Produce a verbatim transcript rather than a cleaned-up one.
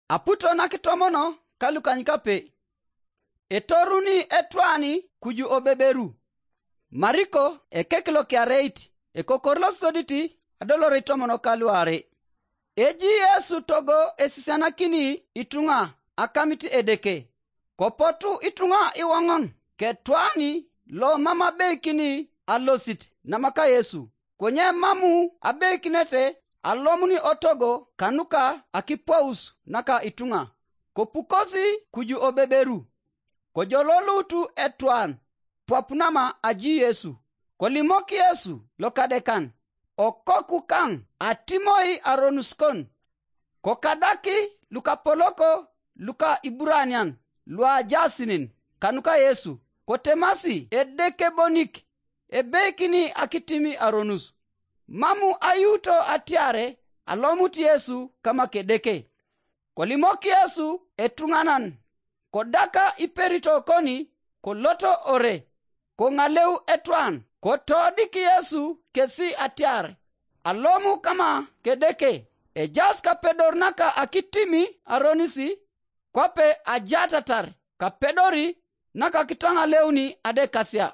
Aputo nakitomono ka lukanykape. Etoruni etwani kuju obeberu. Mariko ekek lokiareit, ekokor losodit, adolorei tomon okaluare. Eji Yesu togo esisianakini ituŋa akamit Edeke. Kopotu ituŋa iwoŋon ketwani lo mam abeikini alosit namaka Yesu, konye mamu abeikinete alomuni otogo kanuka akipaus naka ituŋa. Kopukosi kuju obeberu, kojololut etwan pwap nama aji Yesu. Kolimok Yesu lokadekan, okoku kaŋ atimoi aronus kon. Kokadak lukapolok luka Iburanian luajaasinin kanuka Yesu, kotemasi Edeke bonik ebeikini akitimi aronus. Mamu ayuuto atiare alomut Yesu kama kedeke. Kolimok Yesu etuŋanan, kodaka iperito koni koloto ore, koŋaleu etwan, kotodik Yesu kesi atiar, alomu kama kedeke, ejas kapedor naka akitimi aronisi, kwape ajatatar kapedori naka kitaŋaleuni adekasia.